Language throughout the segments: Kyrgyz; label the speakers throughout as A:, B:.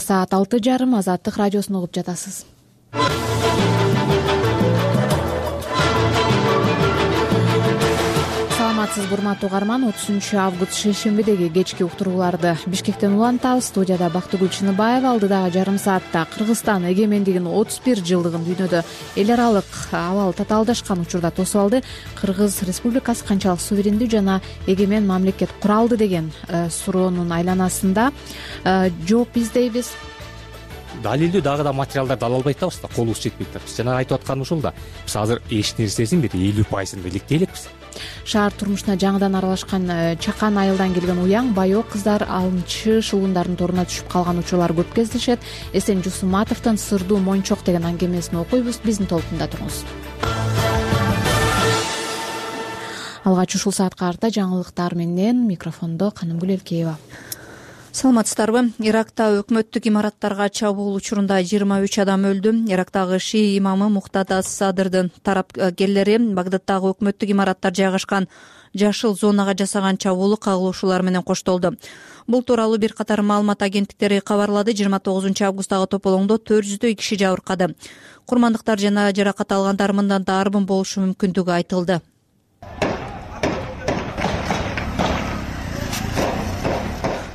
A: Саат 6:30 Азаттык радиосун угуп жатасыз. Саламатсыз урматтуу угарман, 30-август шейшембидеги кечки уктурууларды Бишкектен улантабыз. Студияда Бактыгүл Чыныбаева. Алдыдагы жарым саатта Кыргызстан эгемендигинин 31 жылдыгын дүйнөдө эл аралык абал татаалдашкан учурда тосуп алды. Кыргыз Республикасы канчалык суверендүү жана эгемен мамлекет кура алды деген суроонун айланасында жооп издейбиз.
B: Далилдүү дагы да материалдарды ала албай атабыз да, колубуз жетпей атат. Биз жана айтып атканыбыз ушул да. Биз азыр эч нерсесин бир 50% иликтей элекпиз.
A: Шаар турмушуна жаңыдан аралашкан чакан айылдан келген уяң байоо кыздар алымчы шылуундардын торуна түшүп калган учурлар көп кездешет. Эсен Жусуматовдун Сырдуу Мончок деген аңгемесин окуйбуз. Биздин толкунда туруңуз. Алгач ушул саатка карата жаңылыктар менен микрофондо Канымгүл Элкеева.
C: Саламатсыздарбы? Иракта өкмөттүк имараттарга чабуул учурунда 23 адам өлдү. Ирактагы шии имамы Муктада Садырдын тарапкерлери Багдадтагы өкмөттүк имараттар жайгашкан жашыл зонага жасаган чабуулу кагылуушулар менен коштолду. Бул тууралуу бир катар маалымат агенттиктери кабарлады. 29-августтагы тополоңдо 400 киши жабыркады. Курмандыктар жана жаракат алгандар мындан да арбын болушу мүмкүндүгү айтылды.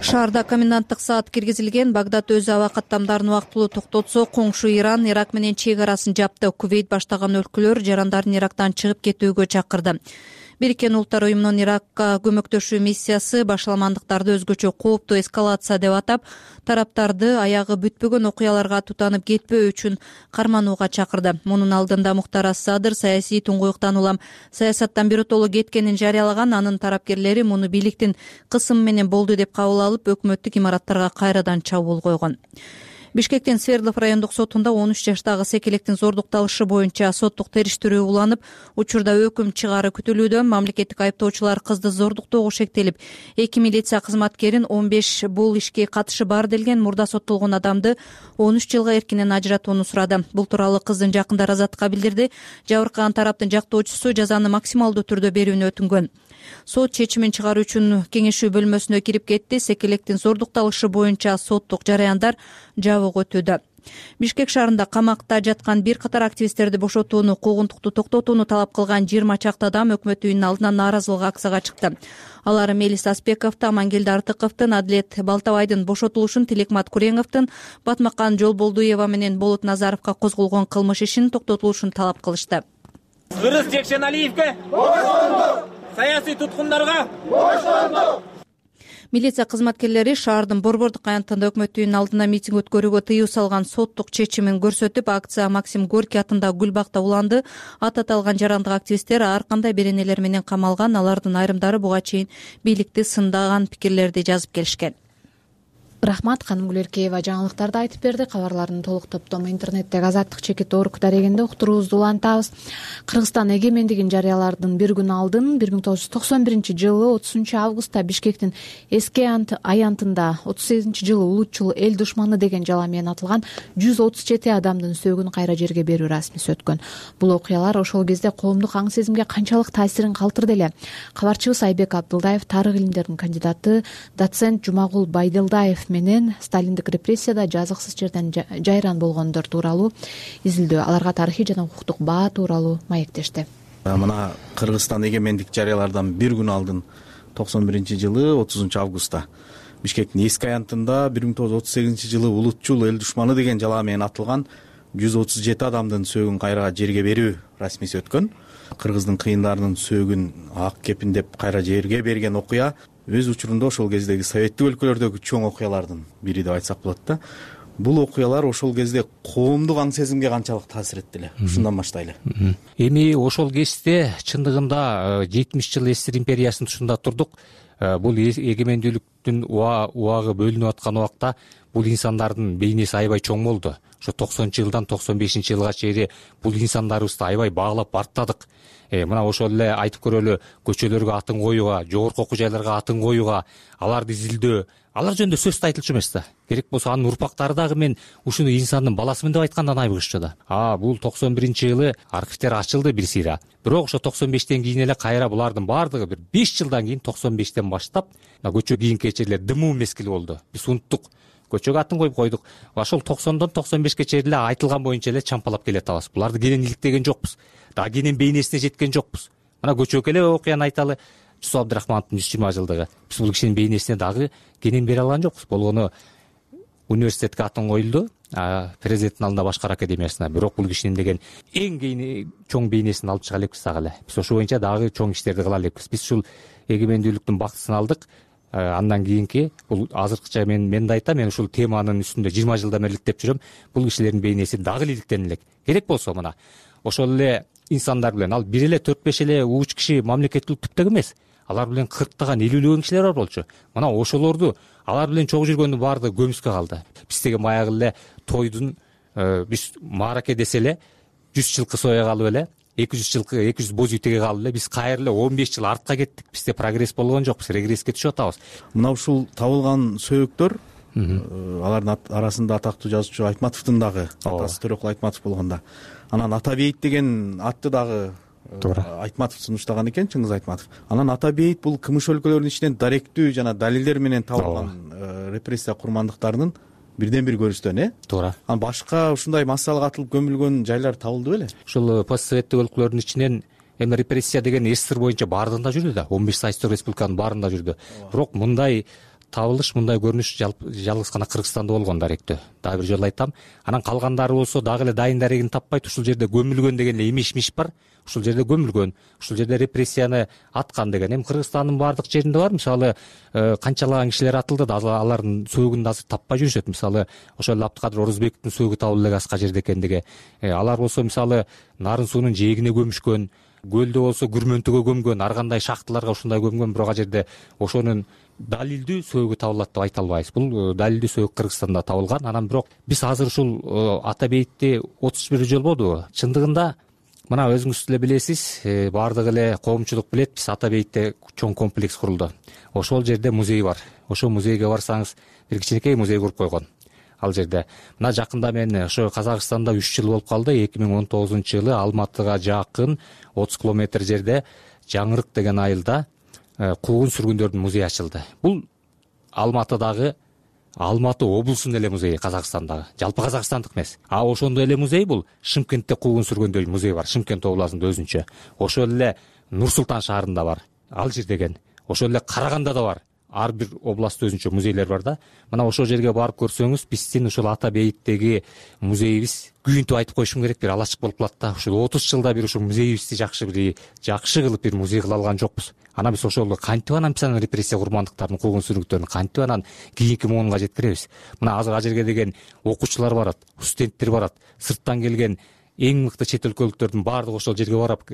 C: Шаарда коменданттык саат киргизилген. Багдад өз аба каттамдарын убактылуу токтотсо, коңшу Иран Ирак менен чек арасын жапты. Кувейт баштаган өлкөлөр жарандардын Ирактан чыгып кетүүгө чакырды. Бириккен Улуттар уюмунун Иракка көмөктөшүү миссиясы башаламандыктарды өзгөчө кооптуу эскалация деп атап, тараптарды аягы бүтпөгөн окуяларга тутанып кетпөө үчүн карманууга чакырды. Мунун алдында Муктар Садыр саясий туңгуюктан улам саясаттан биротоло кеткенин жарыялаган. Анын тарапкерлери муну бийликтин кысымы менен болду деп кабыл алып, өкмөттүк имараттарга кайрадан чабуул койгон. Бишкектин Свердлов райондук сотунда 13 жаштагы секелектин зордукталышы боюнча соттук териштирүү уланып, учурда өкүм чыгаары күтүлүүдө. Мамлекеттик айыптоочулар кызды зордуктоого шектелип, 2 милиция кызматкерин 15 бул ишке катышы бар делген мурда соттолгон адамды 13 жылга эркинен ажыратууну сурады. Бул тууралуу кыздын жакындары Азаттыкка билдирди. Жабыркаган тараптын жактоочусу жазаны максималдуу түрдө берүүнү өтүнгөн. Сот чечимин чыгаруу үчүн кеңешүү бөлмөсүнө кирип кетти. Секелектин зордукталышы боюнча соттук жараяндар жабык өтүүдө. Бишкек шаарында камакта жаткан бир катар активисттерди бошотууну, куугунтукту токтотууну талап кылган 20 чакты адам өкмөт үйүнүнүн алдына нааразылык акцияга чыкты. Алар Мелис Аспековду, Амангелди Артыковдун, Адилет Балтабайдын бошотулушун, Тилекмат Куреновдун, Батмакан Жолболдуева менен Болот Назаровго козголгон кылмыш ишинин токтотулушун талап кылышты.
D: Кыргыз Жекшеналиевге боштондук! Саясий туткундарга боштондук!
C: Милиция кызматкерлери шаардын Борбордук аянтында өкмөт үйүнүнүн алдына митинг өткөрүүгө тыюу салган соттук чечимин көрсөтүп, акция Максим Горький атындагы Гүлбакта уланды. Ат аталган жарандык активисттер ар кандай беренелер менен камалган. Алардын айрымдары буга чейин бийликти сындаган пикирлерди жазып келишкен.
A: Рахмат, Канымгүл Элкеева жаңылыктарды айтып берди. Кабарлардын толук топтому интернеттеги Азаттык чекит орг дарегинде уктуруубузду улантабыз. Кыргызстан эгемендигин жарыялаардын бир күн алдын 1991-жылы 30-августта Бишкектин эски аянтында 38-жылы улутчул эл душманы деген жала менен атылган 137 адамдын сөөгүн кайра жерге берүү расмиси өткөн. Бул окуялар ошол кезде коомдук аң сезимге канчалык таасирин калтырды эле. Кабарчыбыз Айбек Абдылдаев, тарых илимдеринин кандидаты доцент Жумагул Байдылдаев менен сталиндик репрессияда жазыксыз жерден жайран болгондор тууралуу изилдөө, аларга тарыхый жана укуктук баа тууралуу маектешти.
E: Мына Кыргызстан эгемендик жарыялардан бир күн алдын 91-жылы 30-августта Бишкектин эски аянтында 1938-жылы улутчул эл душманы деген жала менен атылган 137 адамдын сөөгүн кайра жерге берүү расмиси өткөн. Кыргыздын кыйындарынын сөөгүн ак кепиндеп кайра жерге берген окуя өз учурунда ошол кездеги советтик өлкөлөрдөгү чоң окуялардын бири деп айтсак болот да. Бул окуялар ошол кезде коомдук аң сезимге канчалык таасир этти эле? Ушундан баштайлы.
B: Эми ошол кезде чындыгында 70 жыл СССР империясынын тушунда турдук. Бул эгемендүүлүктүн убагы бөлүнүп аткан убакта бул инсандардын бейнеси аябай чоң болду. Ошо 90-жылдан 95-жылга чейин бул инсандарыбызды аябай баалап бартадык. Мына ошол эле айтып көрөлү, көчөлөргө атын коюуга, жогорку окуу жайларга атын коюуга, аларды изилдөө, алар жөнүндө сөз да айтылчу эмес да. Керек болсо анын урпактары дагы мен ушуну инсандын баласымын деп айткандан айбыгышчу да. Бул 91-жылы архивтер ачылды бир сыйра. Бирок ошо 95-тен кийин эле кайра булардын баардыгы бир 5 жылдан кийин 95-тен баштап көчө кийинки черлер дымуу мезгил болду. Биз унуттук. көчөгө атын коюп койдук. Ошол 90дон 95ке чейин эле айтылган боюнча эле чампалап келе атабыз. Буларды кенен иликтеген жокпуз. Дагы кенен бейнесине жеткен жокпуз. Мына көчөгө эле окуяны айталы. Жусуп Абдрахмановдун 120 жылдыгы. Биз бул кишинин бейнесине дагы кенен бере алган жокпуз. Болгону университетке атын коюлду, президенттин алдында башкар академиясына. Бирок бул кишинин деген эң чоң бейнесин алып чыга элекпиз дагы эле. Биз ошо боюнча дагы чоң иштерди кыла элекпиз. Биз ушул эгемендүүлүктүн бактысын алдык. Андан кийинки бул азыркыча мен да айтам, мен ушул теманын үстүндө 20 жылдан бери иликтеп жүрөм. Бул кишилердин бейнеси дагы иликтен элек. Керек болсо мына ошол эле инсандар билен, ал бир эле 4-5 эле ууч киши мамлекеттүүлүк түптөк эмес. Алар билен 40таган 50лөгөн кишилер бар болчу. Мына ошолорду алар билен чогуу жүргөндүн баардыгы көмүскө калды. Биз деген баягы эле тойдун биз маараке десе эле 100 жылкы соя калып эле 200 жылкы 200 боз үй теге калып эле биз кайра эле 15 жыл артка кеттик. Бизде прогресс болгон жок, биз регресске түшүп атабыз.
E: Мына ушул табылган сөйөктөр алардын арасында атактуу жазуучу Айтматовдун дагы атасы Төрөкул Айтматов болгондо. Анан Ата бейит деген атты дагы Айтматов сунуштаган экен, Чыңгыз Айтматов. Анан Ата бейит бул КМШ өлкөлөрүнүн ичинен даректүү жана далилдер менен табылган репрессия курмандыктарынын бирден бир көрүнүштөн,
B: Туура.
E: Анан башка ушундай массалык атылып көмүлгөн жайлар табылды беле?
B: Ушул постсоветтик өлкөлөрдүн ичинен эми репрессия деген СССР боюнча баарында жүрдү да, 15 союздук республиканын баарында жүрдү. Бирок мындай табылыш, мындай көрүнүш жалгыз гана Кыргызстанда болгон даректүү. Дагы бир жолу айтам. Анан калгандары болсо дагы эле дайын дарегин таппайт. Ушул жерде көмүлгөн деген эле имиш бар. Ушул жерде көмүлгөн, ушул жерде репрессияны аткан деген. Эми Кыргызстандын баардык жеринде бар. Мисалы, канчалаган кишилер атылды да алардын сөөгүн азыр таппай жүрүшөт. Мисалы, ошол эле Абдыкадыр Орозбековдун сөөгү табылды эле Аска жерде экендиги. Алар болсо мисалы Нарын суунун жээгине көмүшкөн, көлдө болсо Күрмөнтөгө көмгөн, ар кандай шахталарга ушундай көмгөн. Бирок ал жерде ошонун далилдүү сөөгү табылат деп айта албайбыз. Бул далилдүү сөөгү Кыргызстанда табылган. Анан бирок биз азыр ушул Ата бейитти 31 жыл болдубу? Чындыгында мына өзүңүз деле билесиз, баардык эле коомчулук билет, биз Ата бейитте чоң комплекс курулду. Ошол жерде музей бар. Ошол музейге барсаңыз, бир кичинекей музей куруп койгон. Ал жерде мына жакында мен ошо Казакстанда 3 жыл болуп калды. 2019-жылы Алматыга жакын 30 километр жерде Жаңырык деген айылда куугун сүргүндөрдүн музейи ачылды. Бул Алматыдагы Алматы облусунун эле музейи, Казакстандагы. Жалпы казакстандык эмес. Ошондой эле музей бул Шымкентте куугун сүргөндөр музей бар, Шымкент областында өзүнчө. Ошол эле Нур Султан шаарында бар. Алжир деген. Ошол эле Караганда да бар. Ар бир областта өзүнчө музейлер бар да. Мына ошол жерге барып көрсөңүз, биздин ушул Ата бейиттеги музейибиз күйүнтүп айтып коюшум керек, бир алачык болуп калат да. Ушул 30 жылда бир ушул музейибизди жакшы кылып бир музей кыла алган жокпуз. Анан биз ошол кантип анан биз репрессия курмандыктарын, куугун сүргүндөрүн кантип анан кийинки муунга жеткиребиз? Мына азыр ал жерге деген окуучулар барат, студенттер барат, сырттан келген эң мыкты чет өлкөлүктөрдүн баардыгы ошол жерге барып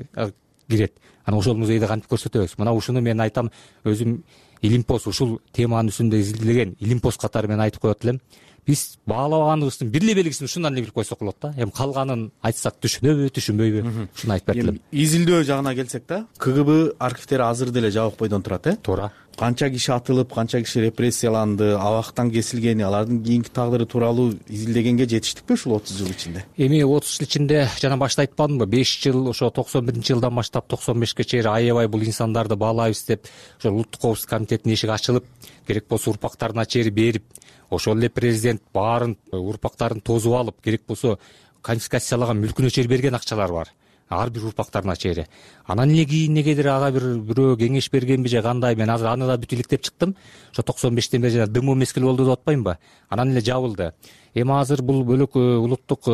B: кирет. Анан ошол музейди кантип көрсөтөбүз? Мына ушуну мен айтам, өзүм Илимпоз ушул теманын үстүндө изилдеген Илимпоз катары мен айтып коет элем. Биз баалабаганыбыздын бир эле белгисин ушундан эле билип койсок болот да. Эми калганын айтсак түшүнөбү, түшүнбөйбү? Ушуну айтып берет элем.
E: Изилдөө жагына келсек да, КГБ архивдери азыр деле жабык бойдон турат,
B: Туура.
E: Канча киши атылып, канча киши репрессияланды, абактан кесилгени, алардын кийинки тагдыры тууралуу изилдегенге жетиштикпи ушул 30 жыл ичинде?
B: Эми 30 жыл ичинде жана башта айтпадымбы, 5 жыл ошо 91-жылдан баштап 95ке чейин аябай бул инсандарды баалайбыз деп ошол улуттук коопсуздук комитетинин эшиги ачылып, керек болсо урпактарына чейин берип, ошол эле президент баарын урпактарын тосуп алып, керек болсо конфискациялаган мүлкүнө чейин берген акчалар бар. Ар бир урпактарына чейин. Анан эле кийин негедир ага бирөө кеңеш бергенби же кандай, мен азыр аны да бүт иликтеп чыктым. Ошо 95тен бери жана дымоо мезгил болду деп атпаймынбы? Анан эле жабылды. Эми азыр бул бөлөк улуттук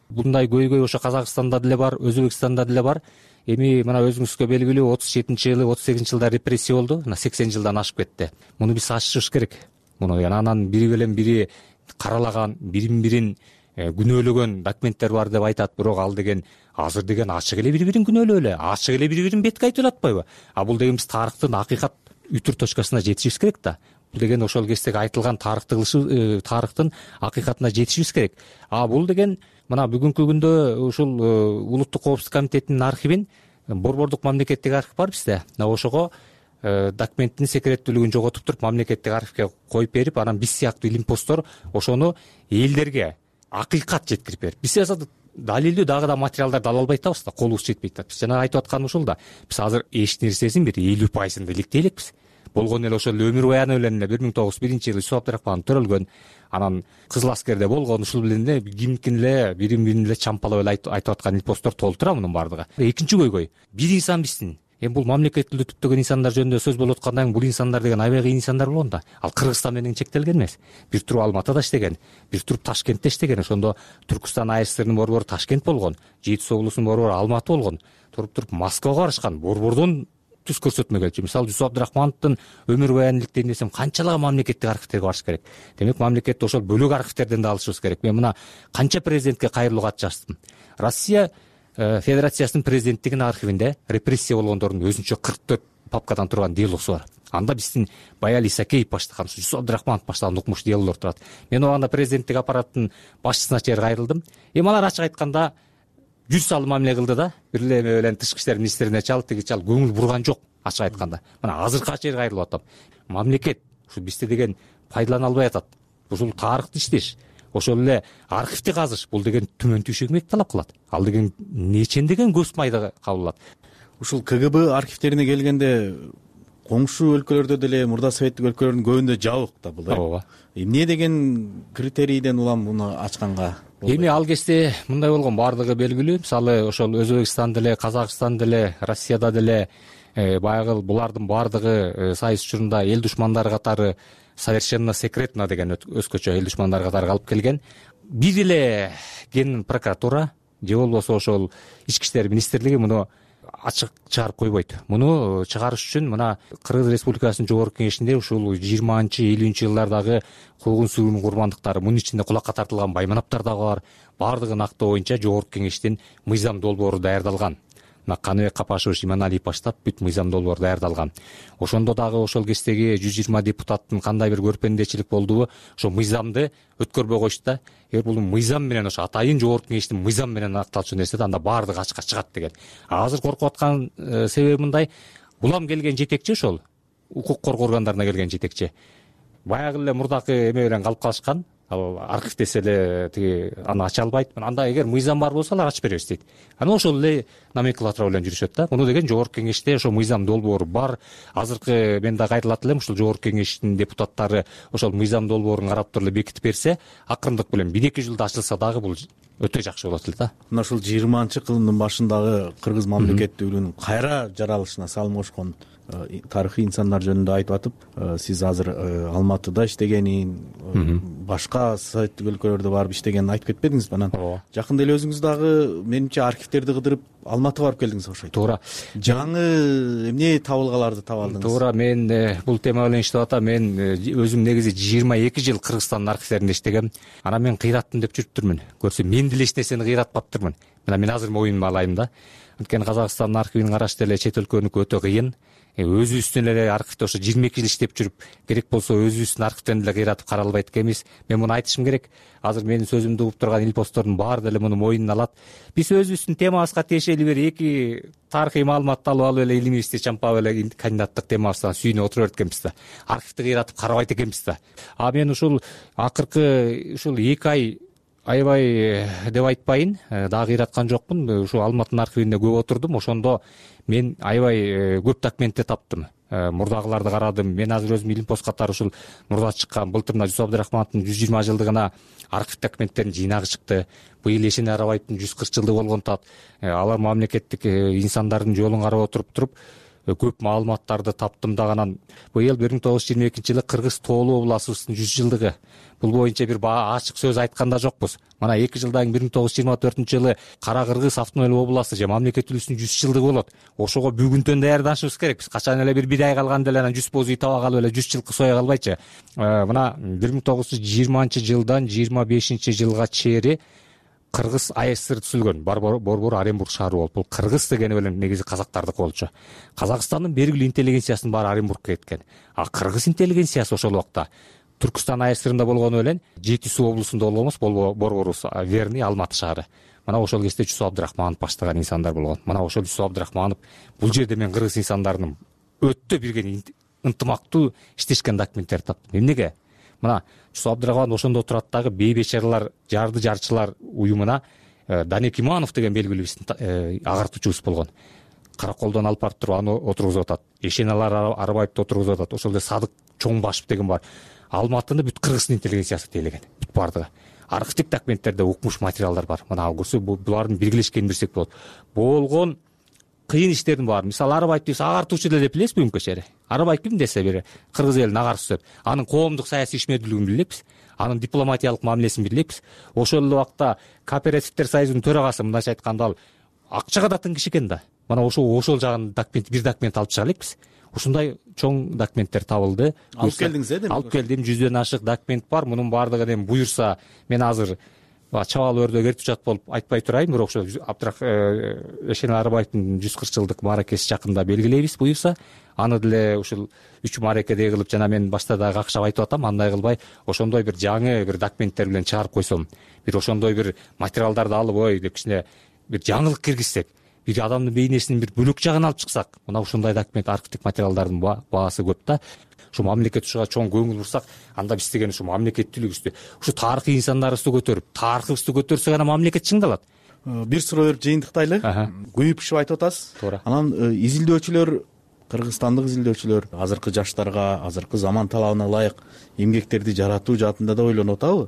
B: мындай көйгөй ошо Казакстанда деле бар, Өзбекстанда деле бар. Эми мына өзүңүзгө белгилүү 37-жылы, 38-жылда репрессия болду. Мына 80 жылдан ашып кетти. Муну биз ачышыбыз керек. Муну анан бири менен бири каралаган, бирин күнөөлөгөн документтер бар деп айтат. Бирок ал деген азыр деген ачык эле бири-бирин күнөөлөө эле, ачык эле бири-бирин бетке айтып атпайбы? Бул деген биз тарыхтын акыйкат үтүр точкасына жетишибиз керек да. Бул деген ошол кездеги айтылган тарыхтын акыйкатына жетишибиз керек. Бул деген мына бүгүнкү күндө ушул улуттук коопсуздук комитетинин архивин, борбордук мамлекеттик архив бар бизде. Ошого документтин секреттүүлүгүн жоготуп туруп мамлекеттик архивге коюп берип, анан биз сыяктуу илимпоздор ошону элдерге акыйкат жеткирип берип, биз далилдүү дагы да материалдарды ала албай атабыз да, колубуз жетпей атат. Биз жана айтып атканыбыз ушул да. Биз азыр эч нерсесин бир 50%-ын иликтей элекпиз. болгон эле ошол эле өмүр баяны менен эле 1901 жылы Юсуп Абдрахманов төрөлгөн. Анан Кызыл аскерде болгон, ушул менен эле кимдикин эле бирин эле чампалап эле айтып аткан илпосттор толтура мунун баардыгы. Экинчи көйгөй бир инсан биздин. Эми бул мамлекет тилди түптөгөн инсандар жөнүндө сөз болуп аткандан кийин бул инсандар деген аябай кыйын инсандар болгон да. Ал Кыргызстан менен чектелген эмес. Бир туруп Алматыда иштеген, бир туруп Ташкентте иштеген. Ошондо Түркүстан АСРнын борбору Ташкент болгон, Жети Суу облусунун борбору Алматы болгон. Туруп Москвага барышкан, борбордон түз көрсөтмө келчү. Мисалы Юсуп Абдрахмановдун өмүр баянын иликтейин десем, канчалаган мамлекеттик архивтерге барыш керек. Демек мамлекетте ошол бөлөк архивтерден да алышыбыз керек. Мен мына канча президентке кайрылуу кат жаздым. Россия Федерациясынын президенттигинин архивинде репрессия болгондордун өзүнчө 44 папкадан турган делосу бар. Анда биздин Баяли Исакеев баштаган, Юсуп Абдрахманов баштаган укмуш делолор турат. Мен убагында президенттик аппараттын башчысына чейин кайрылдым. Эми алар ачык айтканда жүз салым мамиле кылды да. Бир эле менен тышкы иштер министрине чалып, тиги чалып көңүл бурган жок ачык айтканда. Мына азыркыга чейин кайрылып атам. Мамлекет ушу бизде деген пайдалана албай атат. Ушул тарыхты иштеш, ошол эле архивди казыш бул деген түмөн түйшөк эмгек талап кылат. Ал деген нечендеген көз майда кабыл алат.
E: Ушул КГБ архивтерине келгенде коңшу өлкөлөрдө деле, мурда советтик өлкөлөрдүн көбүндө жабык да бул.
B: Ооба.
E: Эмне деген критерийден улам муну ачканга?
B: Эми ал кезде мындай болгон, баардыгы белгилүү. Мисалы ошол Өзбекстанда деле, Казакстанда деле, Россияда деле баягы булардын баардыгы сайыс учурунда эл душмандары катары совершенно секретно деген өзгөчө эл душмандары катары калып келген. Бир эле ген прокуратура же болбосо ошол ички иштер министрлиги муну ачык чыгарып койбойт. Муну чыгарыш үчүн мына Кыргыз Республикасынын жогорку кеңешинде ушул 20-50 жылдардагы куугун-сүргүн курмандыктары, мунун ичинде кулакка тартылган байманаптар дагы бар. Баардыгын актоо боюнча жогорку кеңештин мыйзам долбоору даярдалган. Мына Каныбек Капашевич, Иманалиев баштап бүт мыйзам долбоор даярдалган. Ошондо дагы ошол кездеги 120 депутаттын кандай бир көрпөндөчүлүк болдубу, ошо мыйзамды өткөрбөй койушту да. Эгер бул мыйзам менен, ошо атайын жогорку кеңештин мыйзам менен акталчу нерсе да, анда баардыгы ачыкка чыгат деген. Азыр коркуп аткан себеби мындай: булам келген жетекчи, ошол укук коргоо органдарына келген жетекчи баягы эле мурдакы эме менен калып калышкан. Ал архив десе эле тиги аны ача албайт. Анда эгер мыйзам бар болсо алар ачып беребиз дейт. Анан ошол эле номенклатура менен жүрүшөт да. Муну деген жогорку кеңеште ошо мыйзам долбоору бар. Азыркы мен да кайрылат элем, ушул жогорку кеңештин депутаттары ошол мыйзам долбоорун карап туруп эле бекитип берсе, акырындык менен 1-2 жылда ачылса дагы бул өтө жакшы болот эле да.
E: Мына ушул 20-кылымдын башындагы кыргыз мамлекеттүүлүгүнүн кайра жаралышына салым кошкон тарыхый инсандар жөнүндө айтып атып, сиз азыр Алматыда иштегенин, башка советтик өлкөлөрдө барып иштегенин айтып кетпедиңизби? Анан жакында эле өзүңүз дагы менимче архивтерди кыдырып Алматыга барып келдиңиз окшойт.
B: Туура.
E: Жаңы эмне табылгаларды таба алдыңыз?
B: Туура, мен бул тема менен иштеп атам. Мен өзүм негизи 22 жыл Кыргызстандын архивтеринде иштегем. Анан мен кыйраттым деп жүрүптүрмүн. Көрсө мен деле эч нерсени кыйратпаптырмын. Мына мен азыр моюнума алайын да. Анткени Казакстандын архивин караш деле чет өлкөнүкү өтө кыйын. Өзүбүздүн эле архивде ошо 22 жыл иштеп жүрүп, керек болсо өзүбүздүн архивден деле кыйратып кара албайт экенбиз. Мен муну айтышым керек. Азыр менин сөзүмдү угуп турган илпостордун баары деле муну моюнуна алат. Биз өзүбүздүн темабызга тиешелүү бир 2 тарыхый маалыматты алып эле илимибизди чампап эле кандидаттык темабыздан сүйүнүп отура берет экенбиз да. Архивди кыйратып карабайт экенбиз да. А мен ушул акыркы ушул 2 ай аябай деп айтпайын, дагы кыйраткан жокмун. Ушу Алматынын архивинде көп отурдум. Ошондо мен аябай көп документти таптым. Мурдагыларды карадым. Мен азыр өзүм илимпост катары ушул мурда чыккан былтыр Юсуп Абдрахмановдун 120 жылдыгына архив документтеринин жыйнагы чыкты. Быйыл Эшен Арабаевдин 140 жылдыгы болгон тат. Алар мамлекеттик инсандардын жолун карап отуруп көп маалыматтарды таптым дагы. Анан быйыл 1922 жылы Кыргыз тоолуу обласыбыздын 100 жылдыгы. Бул боюнча бир ачык сөз айткан да жокпуз. Мына 2 жылдан кийин 1924 жылы Кара Кыргыз автономиялык областы же мамлекеттүүлүгүнүн 100 жылдыгы болот. Ошого бүгүнтөн даярданышыбыз керек. Биз качан эле бир ай калганда эле анан 100 боз үй таба калып эле 100 жылкы сое калбайчы. Мына 1920 жылдан 25 жылга чейин Кыргыз АСР түзүлгөн. Борбор Оренбург шаары болуп. Бул Кыргыз дегени менен негизи казактардыкы болчу. Казакстандын белгилүү интеллигенциясынын баары Оренбургка кеткен. А Кыргыз интеллигенциясы ошол убакта Түркүстан АСРында болгону менен Жети Суу облусунда болгонбуз, борборубуз Верный, Алматы шаары. Мына ошол кезде Юсуп Абдрахманов баштаган инсандар болгон. Мына ошол Юсуп Абдрахманов бул жерде мен кыргыз инсандарынын өтө бирге ынтымактуу иштешкен документтерди таптым. Эмнеге? Мына Юсуп Абдрахманов ошондо турат дагы бейбечаралар жарды жарчылар уюмуна Данек Иманов деген белгилүү биздин агартуучубуз болгон. Караколдон алып барып туруп аны отургузуп атат. Эшеналар Арбаевди отургузуп атат. Ошол эле Садык Чоңбашев деген бар. Алматыны бүт кыргыздын интеллигенциясы тейлеген. Бүт бардыгы. Архивдик документтерде укмуш материалдар бар. Мына көрсө булардын биргелешкенин билсек болот. Болгон кыйын иштердин баары. Мисалы Арбаевди биз агартуучу деп билебизби бүгүнкү чейин? Арбаев ким десе бир кыргыз элин агарчысы деп. Анын коомдук саясий ишмердүүлүгүн билебиз. Анын дипломатиялык мамилесин билебиз. Ошол эле убакта Кооперативдер союзунун төрагасы мындайча айтканда ал акчага да тың киши экен да. Мана ошол жагын бир документ алып чыга элекпиз. Ушундай чоң документтер табылды.
E: Алып келдиңиз демек?
B: Алып келдим. 100дөн ашык документ бар. Мунун баардыгын эми буюрса мен азыр чабал өрдө эртүчат болуп айтпай турайын, бирок ошо Эшенал Арбаевдин 140 жылдык мааракеси жакында белгилейбиз буюрса. Аны деле ушул 3 мааракедей кылып жана мен башта да какшап айтып атам, андай кылбай ошондой бир жаңы бир документтер менен чыгарып койсом, бир ошондой бир материалдарды алып ой деп кичине бир жаңылык киргизсек, бир адамдын бейнесинин бир бөлөк жагын алып чыксак, мына ушундай документ архивдик материалдардын баасы көп да. Ушу мамлекет ушуга чоң көңүл бурсак, анда биз деген ушу мамлекеттүүлүгүбүздү, ушу тарыхый инсандарыбызды көтөрүп, тарыхыбызды көтөрсөк гана мамлекет чыңдалат.
E: Бир суроо берип жыйынтыктайлы. Күйүп-пышып айтып атасыз.
B: Туура.
E: Анан изилдөөчүлөр, кыргызстандык изилдөөчүлөр азыркы жаштарга, азыркы заман талабына ылайык эмгектерди жаратуу жаатында да ойлонуп атабы?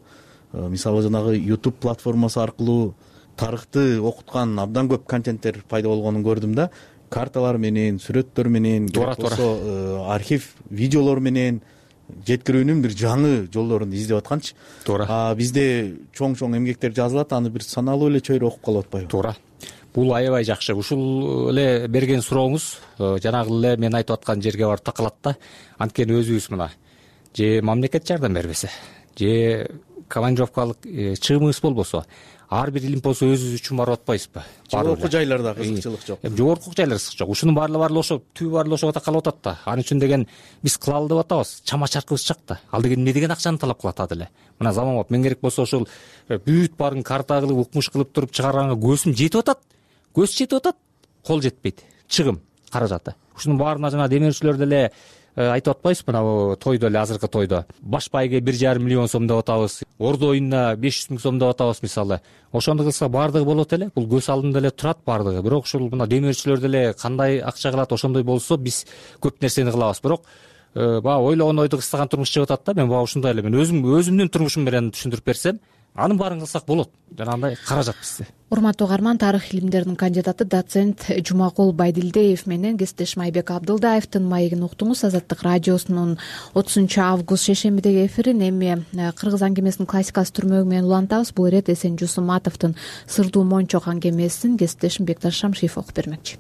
E: Мисалы жанагы YouTube платформасы аркылуу тарыхты окуткан абдан көп контенттер пайда болгонун көрдүм да. Карталар менен, сүрөттөр менен, болсо архив видеолор менен жеткирүүнүн бир жаңы жолдорун издеп атканчы.
B: Туура.
E: Бизде чоң эмгектер жазылат, аны бир саналуу эле чөйрө окуп калып атпайбы?
B: Туура. Бул аябай жакшы. Ушул эле берген сурооңуз жанагы эле мен айтып аткан жерге барып такалат да. Анткени өзүбүз мына же мамлекет жардам бербесе, же командировкалык чыгымыбыз болбосо, ар бир илим болсо өзүбүз үчүн барып атпайбызбы?
E: Жогорку жайларда кызыкчылык жок.
B: Жогорку жайлар кызык жок. Ушунун баары ошо түбү баары ошого такалып атат да. Ал үчүн деген биз кылалы деп атабыз. Чама чаркыбыз чак да. Ал деген эмне деген акчаны талап кылат ады эле. Мына заманбап мен керек болсо ошол бүт баарын карта кылып, укмуш кылып туруп чыгарганга көзүм жетип атат. Көз жетип атат, кол жетпейт. Чыгым, каражаты. Ушунун баарына жана демирчилер деле айтып атпайбызбы, мына тойдо эле, азыркы тойдо баш байге 1,5 миллион сом деп атабыз, ордо оюнуна 500 000 сом деп атабыз мисалы. Ошондо кылса баардыгы болот эле. Бул көз алдында эле турат баардыгы. Бирок ушул мына демирчилер деле кандай акча кылат, ошондой болсо биз көп нерсени кылабыз. Бирок баягы ойлогон ойду кыстаган турмуш чыгып атат да. Мен баягы ушундай эле, мен өзүмдүн турмушум менен түшүндүрүп берсем, анын баарын кылсак болот. Жанагындай каражат бизде.
A: Урматтуу угарман, тарых илимдеринин кандидаты доцент Жумакул Байдилдиев менен кесиптешим Айбек Абдылдаевдин маегин уктуңуз. Азаттык радиосунун 30-август шейшембидеги эфирин эми кыргыз аңгемесинин классикасы түрмөгү менен улантабыз. Бул ирет Эсен Жусуматовдун Сырдуу Мончок аңгемесин кесиптешим Бекташ Шамшиев окуп бермекчи.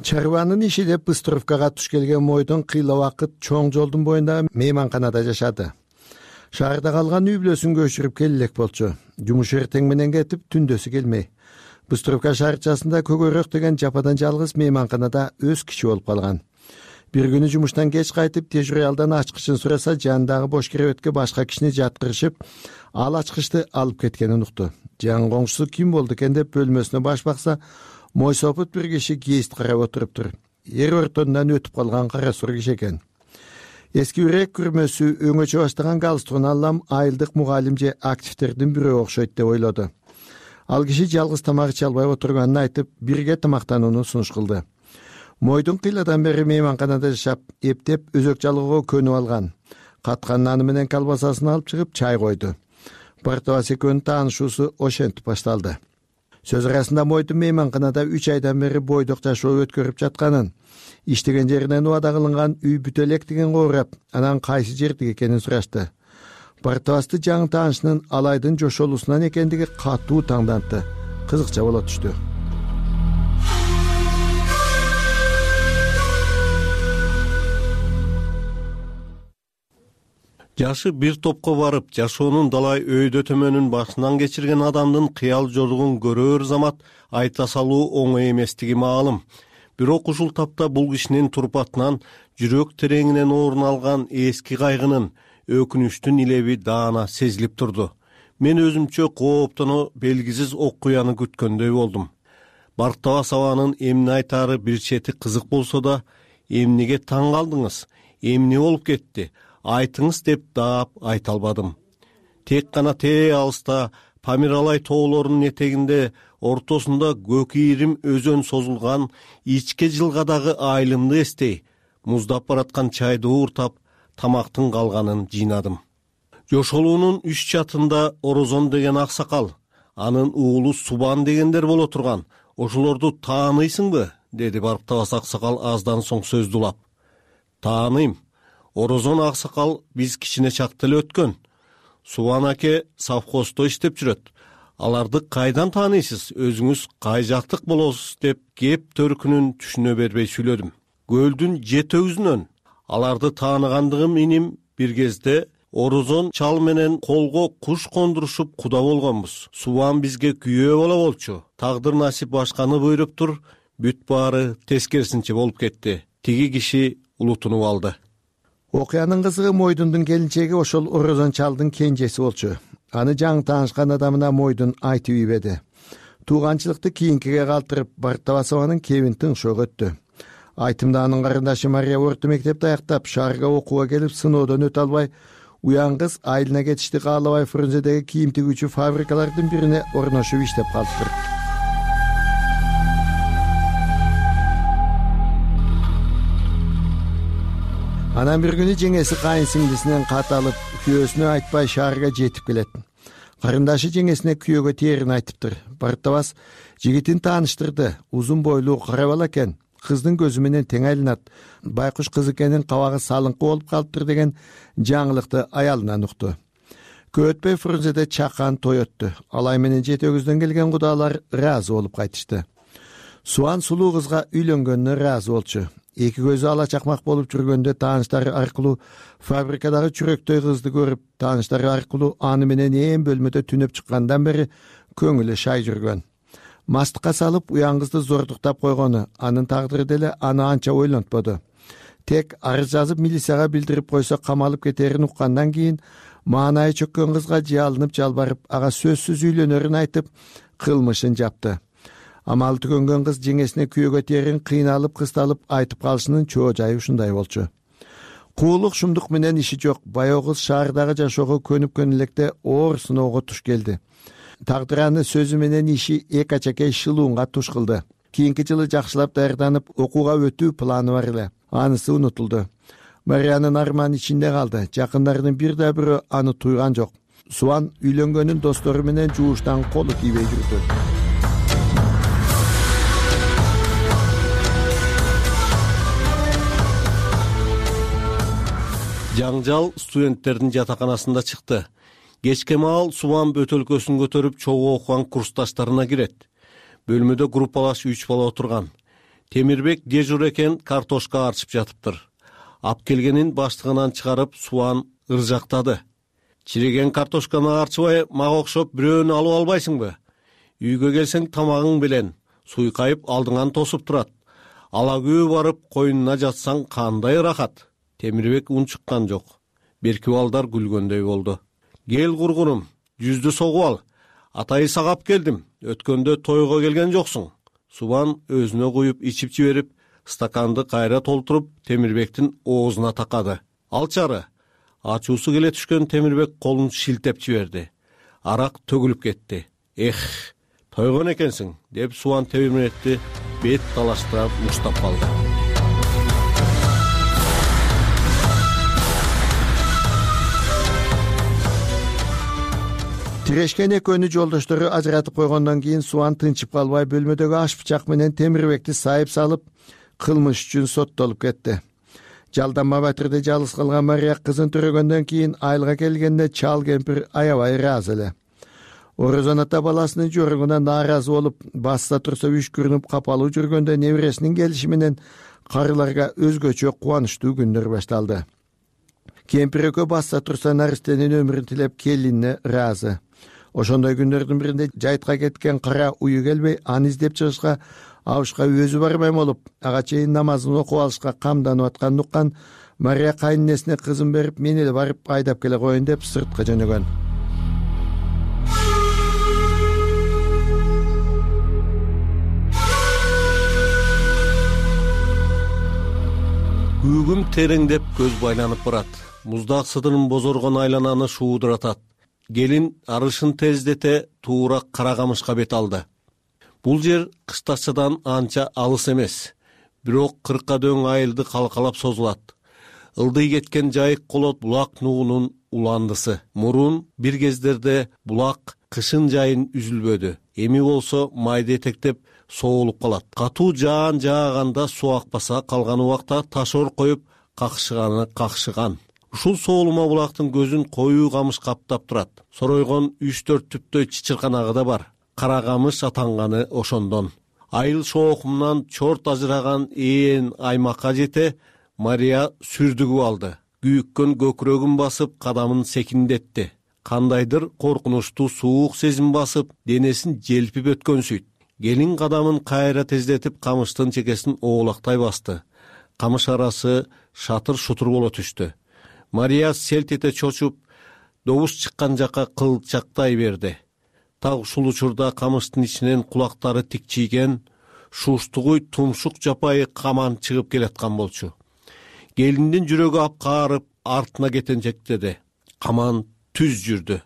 F: Чарбанын иши деп Быстровкага туш келген Мойдун кыйла убакыт чоң жолдун боюндагы мейманканада жашады. Шаарда калган үй бүлөсүн көчүрүп келелек болчу. Жумуш эртең менен кетип, түндөсү келмей. Быстровка шаарчасында Көгөрөк деген жападан жалгыз мейманканада өз киши болуп калган. Бир күнү жумуштан кеч кайтып, тежуралдан ачкычын сураса, жанындагы бош керебетке башка кишини жаткырышып, ал ачкычты алып кеткенин укту. Жан коңшусу ким болду экен деп бөлмөсүнө баш бакса, мойсопут бир киши кээст карап отуруптур. Эр ортондан өтүп калган кара сур киши экен. Эски үрек күрмөсү өңөчө баштаган галстугун алам айылдык мугалим же активдердин бирөө окшойт деп ойлоду. Ал киши жалгыз тамак иче албай отурганын айтып, бирге тамактанууну сунуш кылды. Мойдун кыйладан бери мейманканада жашап, эптеп өзөк жалгоого көнүп алган. Каткан наны менен колбасасын алып чыгып чай койду. Бартыбас экөөнүн таанышуусу ошентип башталды. Сөз арасында Мойдун мейманканада 3 айдан бери бойдок жашоо өткөрүп жатканын, иштеген жеринен убада кылынган үй бүтө элек деген коорап, анан кайсы жердик экенин сурашты. Бартыбасты жаңы таанышынын алайдын жошолуусунан экендиги катуу таңдантты. Кызыкча боло түштү.
G: Жашы бир топко барып, жашоонун далай өйдө төмөнүн башынан кечирген адамдын кыял жоругун көрөр замат айта салуу оңой эместиги маалым. Бирок ушул тапта бул кишинин турпатынан жүрөк тереңинен орун алган эски кайгынын, өкүнүчтүн илеби даана сезилип турду. Мен өзүмчө кооптоно белгисиз окуяны күткөндөй болдум. Бартыбас абанын эмне айтары бир чети кызык болсо да, эмнеге таң калдыңыз, эмне болуп кетти, айтыңыз деп даап айта албадым. Тек гана алыста Памиралай тоолорунун этегинде ортосунда көк ийрим өзөн созулган ичке жылгадагы айылымды эстей, муздап бараткан чайды ууртап, тамактын калганын жыйнадым. Жошолуунун үч чатында Орозон деген аксакал, анын уулу Субан дегендер боло турган. Ошолорду тааныйсыңбы? Деди Барктабас аксакал аздан соң сөздү улап. Тааныйм. Орозон аксакал биз кичине чакта эле өткөн. Субан аке совхоздо иштеп жүрөт. Аларды кайдан тааныйсыз? Өзүңүз кай жактык болосуз деп кеп төркүнүн түшүнө бербей сүйлөдүм. Көлдүн жет өгүзүнөн. Аларды тааныгандыгым иним бир кезде Орозон чал менен колго куш кондурушуп куда болгонбуз. Субан бизге күйөө боло болчу. Тагдыр насип башканы буйруптур, бүт баары тескерисинче болуп кетти. Тиги киши улутунуп алды.
F: Окуянын кызыгы Мойдундун келинчеги ошол Орозон чалдын кенжеси болчу. Аны жаңы таанышкан адамына Мойдун айтып ийбеди. Тууганчылыкты кийинкиге калтырып, Бартабасованын кебин тыңшоого өттү. Айтымда анын карындашы Мария орто мектепти аяктап, шаарга окууга келип, сыноодон өтө албай, уян кыз айылына кетишти каалабай Фрунзедеги кийим тигүүчү фабрикалардын бирине орношуп иштеп калыптыр. Анан бир күнү жеңеси кайын сиңдисинен кат алып, күйөөсүнө айтпай шаарга жетип келет. Карындашы жеңесине күйөөгө тээрин айтыптыр. Бартабас жигитин тааныштырды. Узун бойлуу кара бала экен. Кыздын көзү менен тең айланат. Байкуш кыз экенин кабагы салыңкы болуп калыптыр деген жаңылыкты аялынан укту. Көп өтпөй Фрунзеде чакан той өттү. Алай менен жети өгүздөн келген кудалар ыраазы болуп кайтышты. Суан сулуу кызга үйлөнгөнүнө ыраазы болчу. Эки көзү ала чакмак болуп жүргөндө тааныштары аркылуу фабрикадагы чүрөктөй кызды көрүп, тааныштары аркылуу аны менен ээн бөлмөдө түнөп чыккандан бери көңүлү шай жүргөн. Мастыкка салып уян кызды зордуктап койгону, анын тагдыры деле аны анча ойлонтподу. Тек арыз жазып милицияга билдирип койсо камалып кетерин уккандан кийин маанайы чөккөн кызга жалынып жалбарып, ага сөзсүз үйлөнөрүн айтып, кылмышын жапты. Амалы түгөнгөн кыз жеңесине күйөөгө тээрин кыйналып, кысталып айтып калышынын чоо жайы ушундай болчу. Куулук шумдук менен иши жок. Баягы кыз шаардагы жашоого көнүп электе оор сыноого туш келди. Тагдыр аны сөзү менен иши эки ачакей шылуунга туш кылды. Кийинки жылы жакшылап даярданып, окууга өтүү планы бар эле. Анысы унутулду. Мариянын арманы ичинде калды. Жакындарынын бир да бирөө аны туйган жок. Суан үйлөнгөнүн достору менен жууштан колу тийбей жүрдү.
G: Жаңжал студенттердин жатаканасында чыкты. Кечке маал Субан бөтөлкөсүн көтөрүп чогуу окуган курсташтарына кирет. Бөлмөдө группалаш 3 бала отурган. Темирбек дежур экен, картошка арчып жатыптыр. Ап келгенин баштыгынан чыгарып Субан ыржактады. Чиреген картошканы арчыбай мага окшоп бирөөнү алып албайсыңбы? Үйгө келсең тамагың белен, суйкайып алдыңан тосуп турат. Алагүү барып койнуна жатсаң кандай ырахат. Темирбек унчуккан жок. Берки балдар күлгөндөй болду. Кел кургунум, жүздү согуп ал. Атайы сагап келдим. Өткөндө тойго келген жоксуң. Субан өзүнө куюп ичип жиберип, стаканды кайра толтуруп Темирбектин оозуна такады. Алчары. Ачуусу келе түшкөн Темирбек колун шилтеп жиберди. Арак төгүлүп кетти. Тойгон экенсиң, деп Субан Темирбекти бет талаштырып муштап калды.
F: Тирешкен экөөнү жолдоштору ажыратып койгондон кийин Суан тынчып калбай бөлмөдөгү аш бычак менен Темирбекти сайып салып, кылмыш үчүн соттолуп кетти. Жалданма батырды жалгыз калган Мария кызын төрөгөндөн кийин айылга келгенде чал кемпир аябай ыраазы эле. Орозон ата баласынын жоругуна нааразы болуп, баста турса үшкүрүнүп капалуу жүргөндө небересинин келиши менен карыларга өзгөчө кубанычтуу күндөр башталды. Кемпир экөө баста турса наристенин өмүрүн тилеп келинине ыраазы. Ошондой күндөрдүн биринде жайтка кеткен кара уyu келбей, аны издеп чыгышка абышка өзү барбай болуп, ага чейин намазын окуп алышка камданып атканын уккан Мария кайненесине кызын берип, мен эле барып айдап келе коеюн деп сыртка жөнөгөн.
G: Үгүм тереңдеп көз байланып барат. Муздак сыдырын бозоргон айлананы шуудуратат. келин арышын тездете туура Кара Камышка бет алды. Бул жер Кыштачадан анча алыс эмес, бирок 40 дөң айылды калкалап созулат. Ылдый кеткен жайык колот булак нуунун уландысы. Мурун бир кездерде булак кышын жайын үзүлбөдү. Эми болсо майда этектеп соолуп калат. Катуу жаан жааганда суу акпаса, калган убакта ташор коюп какшыган. Ушул соолума булактын көзүн коюу камыш каптап турат. Соройгон 3-4 түптөй чычырканагы да бар. Кара Камыш атанганы ошондон. Айыл шоокумунан чорт ажыраган ээн аймакка жете Мария сүрдүгүп алды. Күйүккөн көкүрөгүн басып, кадамын секиндетти. Кандайдыр коркунучтуу суук сезим басып, денесин желпип өткөнсүйт. Келин кадамын кайра тездетип, камыштын чекесин оолактай басты. Камыш арасы шатыр-шутур боло түштү. Мария селт эте чочуп, добуш чыккан жакка кылчактай берди. Так ушул учурда камыштын ичинен кулактары тикчийген, шуштугуй тумшук жапайы каман чыгып келаткан болчу. Келиндин жүрөгү апкаарып, артына кетенчектеди. Каман түз жүрдү.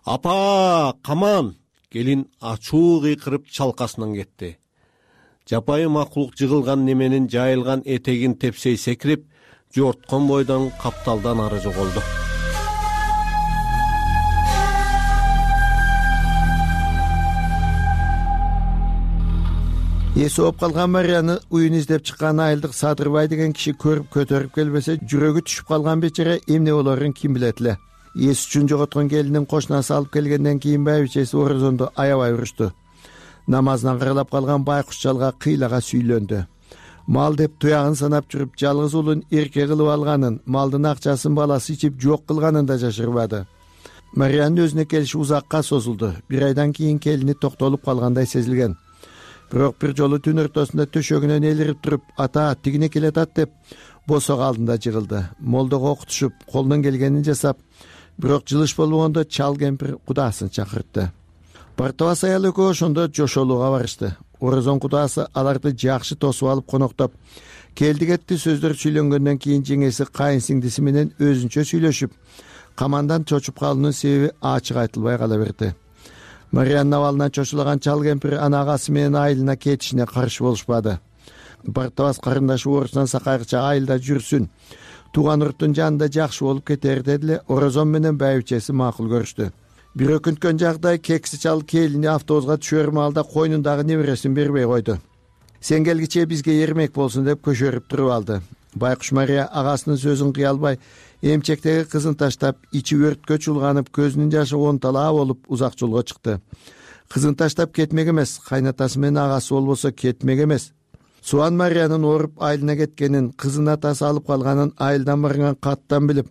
G: Апа, каман! Келин ачуу кыйкырып чалкасынан кетти. Жапайы макулук жыгылган неменин жайылган этегин тепсей секирип, жорткон бойдон капталдан ары жоголду.
F: Эси ооп калган Марияны уюн издеп чыккан айылдык Садырбай деген киши көрүп көтөрүп келбесе, жүрөгү түшүп калган бечара эмне болорун ким билет эле. Эс үчүн жоготкон келинин кошунасы алып келгенден кийин байбичеси орозонду аябай урушту. Намазынан кырылап калган байкуш жалга кыйлага сүйлөндү. Мал деп туягын санап жүрүп, жалгыз уулун эрке кылып алганын, малдын акчасын баласы ичип жок кылганын да жашырбады. Мариянын өзүнө келиши узакка созулду. 1 айдан кийин келини токтолуп калгандай сезилген. Бирок бир жолу түн ортосунда төшөгүнөн элирип туруп, ата тигине келатат деп босок алдында жыгылды. Молдого окутушуп, колунан келгенин жасап, бирок жылыш болбогондо чал кемпир кудаасын чакыртты. Бартабас аял экөө ошондо жошолууга барышты. Орозон кудаасы аларды жакшы тосуп алып коноктоп, келди кетти сөздөр сүйлөнгөндөн кийин жеңеси кайын сиңдиси менен өзүнчө сүйлөшүп, камандан чочуп калуунун себеби ачык айтылбай кала берди. Мариянын абалынан чочулаган чал кемпир ана агасы менен айылына кетишине каршы болушпады. Бартабас карындашы орусунан сакайгыча айылда жүрсүн, тууган урттун жанында жакшы болуп кетер деди эле. Орозон менен байбичеси макул көрүштү. Бир өкүнткөн жагдай кекси чал келини автобуска түшөр маалда койнундагы небересин бербей койду. Сен келгиче бизге эрмек болсун деп көшөрүп туруп алды. Байкуш Мария агасынын сөзүн кыя албай, эмчектеги кызын таштап, ичи өрткө чулганып, көзүнүн жашы онталаа болуп узак жолго чыкты. Кызын таштап кетмек эмес, кайнатасы менен агасы болбосо кетмек эмес. Суан Мариянын ооруп айылына кеткенин, кызын атасы алып калганын айылдан барган каттан билип,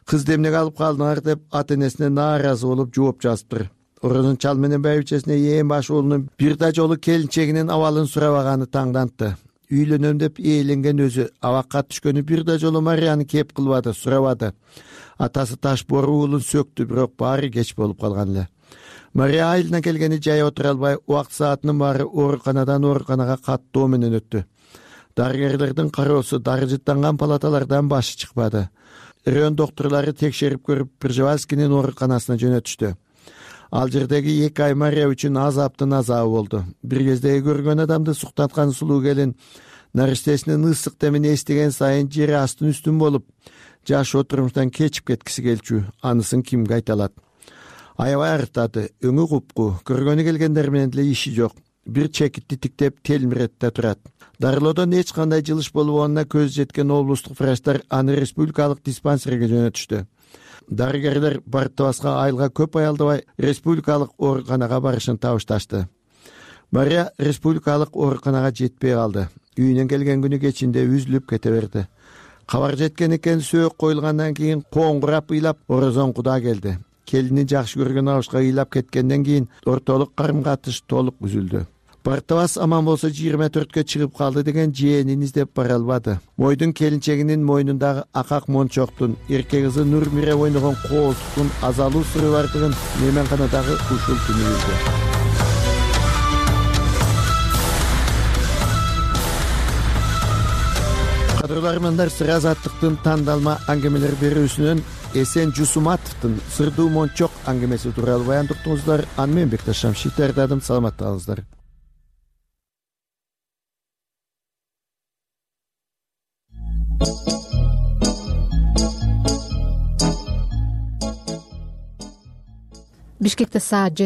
F: кыз эмнеге алып калдыңар деп ата-энесине нааразы болуп жооп жазыптыр. Орозон чал менен байбичесине ээн баш уулунун бир да жолу келинчегинин абалын сурабаганы таңдантты. Үйлөнөм деп ээленген өзү абакка түшкөнү бир да жолу Марияны кеп кылбады, сурабады. Атасы таш бору уулун сөктү, бирок баары кеч болуп калган эле. Мария айылына келгени жай отура албай, убакыт саатынын баары ооруканадан ооруканага каттоо менен өттү. Дарыгерлердин кароосу дарыжыттанган палаталардан башы чыкпады. Район доктурлары текшерип көрүп, Пржевальскийнин ооруканасына жөнөтүштү. Ал жердеги 2 ай Мария үчүн азаптын азабы болду. Бир кездеги көргөн адамды суктаткан сулуу келин нариштесинин ысык демин эстеген сайын жери астын үстүн болуп, жашоо турмуштан кечип кеткиси келчү. Анысын кимге айта алат? Аябай арыктады, өңү купку, көргөнү келгендер менен деле иши жок. Бир чекитти тиктеп телмиретте турат. Дарылоодон эч кандай жылыш болбогонуна көз жеткен облустук врачтар аны республикалык диспансерге жөнөтүштү. Дарыгерлер Бартабаска айылга көп аялдабай республикалык ооруканага барышын табышташты. Мария республикалык ооруканага жетпей калды. Үйүнөн келген күнү кечинде үзүлүп кете берди. Кабар жеткен экен, сөөк коюлгандан кийин коңгурап ыйлап Орозон куда келди. Келини жакшы көргөн абышка ыйлап кеткенден кийин ортолук карым-катыш толук үзүлдү. Бартабас аман болсо 24-кө чыгып калды деген жээнин издеп бара албады. Мойдун келинчегинин мойнундагы акак мончоктун, эрке кызы Нурмире ойногон коолтуктун азалуу сыры бардыгын мейманканадагы ушул күнү билди. Кадырлармандар, Сыр азаттыктын тандалма аңгемелер берүүсүнөн Эсен Жусуматовдун Сырдуу Мончок аңгемеси тууралуу баяндап уктуңуздар. Аны мен Бекташ Шамшит даярдадым. Саламатта калыңыздар.
A: Бишкекте саат